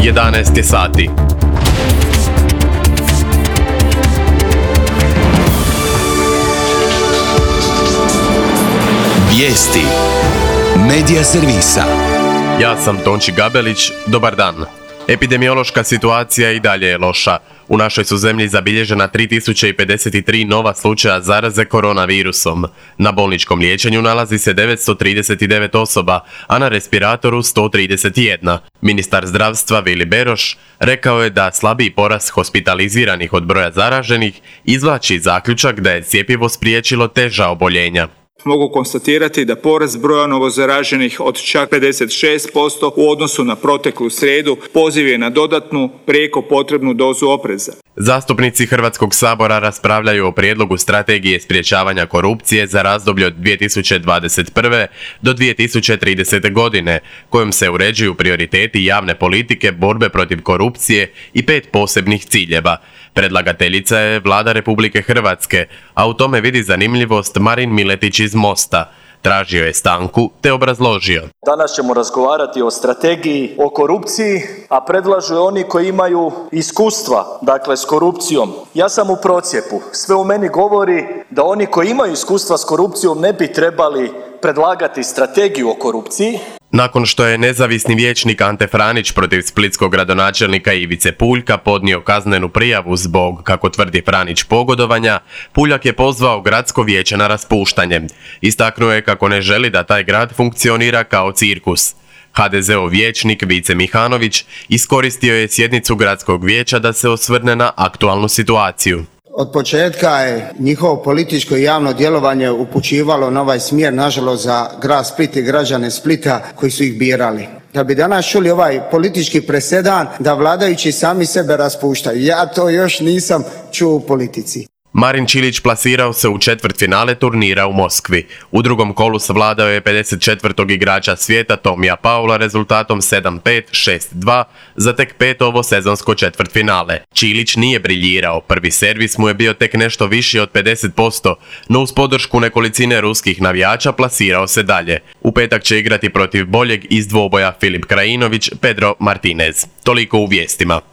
11 je sati. Vijesti Medija servisa. Ja sam Tonči Gabelić, dobar dan. Epidemiološka situacija i dalje je loša. U našoj su zemlji zabilježena 3053 nova slučaja zaraze koronavirusom. Na bolničkom liječenju nalazi se 939 osoba, a na respiratoru 131. Ministar zdravstva Vili Beroš rekao je da slabiji porast hospitaliziranih od broja zaraženih izvlači zaključak da je cjepivo spriječilo teža oboljenja. Mogu konstatirati da porast broja novozaraženih od čak 56% u odnosu na proteklu srijedu poziv je na dodatnu prijeko potrebnu dozu opreza. Zastupnici Hrvatskog sabora raspravljaju o prijedlogu strategije sprječavanja korupcije za razdoblje od 2021. do 2030. godine, kojom se uređuju prioriteti javne politike borbe protiv korupcije i 5 posebnih ciljeva. Predlagateljica je Vlada Republike Hrvatske, a u tome vidi zanimljivost Marin Miletić iz Mosta. Tražio je stanku te obrazložio. Danas ćemo razgovarati o strategiji, o korupciji, a predlažu je oni koji imaju iskustva, dakle s korupcijom. Ja sam u procijepu. Sve u meni govori da oni koji imaju iskustva s korupcijom ne bi trebali predlagati strategiju o korupciji. Nakon što je nezavisni vijećnik Ante Franić protiv splitskog gradonačelnika Ivice Puljka podnio kaznenu prijavu zbog, kako tvrdi Franić, pogodovanja, Puljak je pozvao gradsko vijeće na raspuštanje. Istaknuo je kako ne želi da taj grad funkcionira kao cirkus. HDZ-ov vijećnik Vice Mihanović iskoristio je sjednicu gradskog vijeća da se osvrne na aktualnu situaciju. Od početka je njihovo političko i javno djelovanje upućivalo na ovaj smjer, nažalost, za grad Split i građane Splita koji su ih birali. Da bi danas čuli ovaj politički presedan da vladajući sami sebe raspuštaju. Ja to još nisam čuo u politici. Marin Čilić plasirao se u četvrtfinale turnira u Moskvi. U drugom kolu savladao je 54. igrača svijeta Tomija Paula rezultatom 7-5, 6-2 za tek 5. ovo sezonsko četvrtfinale. Čilić nije briljirao, prvi servis mu je bio tek nešto viši od 50%, no uz podršku nekolicine ruskih navijača plasirao se dalje. U petak će igrati protiv boljeg iz dvoboja Filip Krajinović, Pedro Martinez. Toliko u vijestima.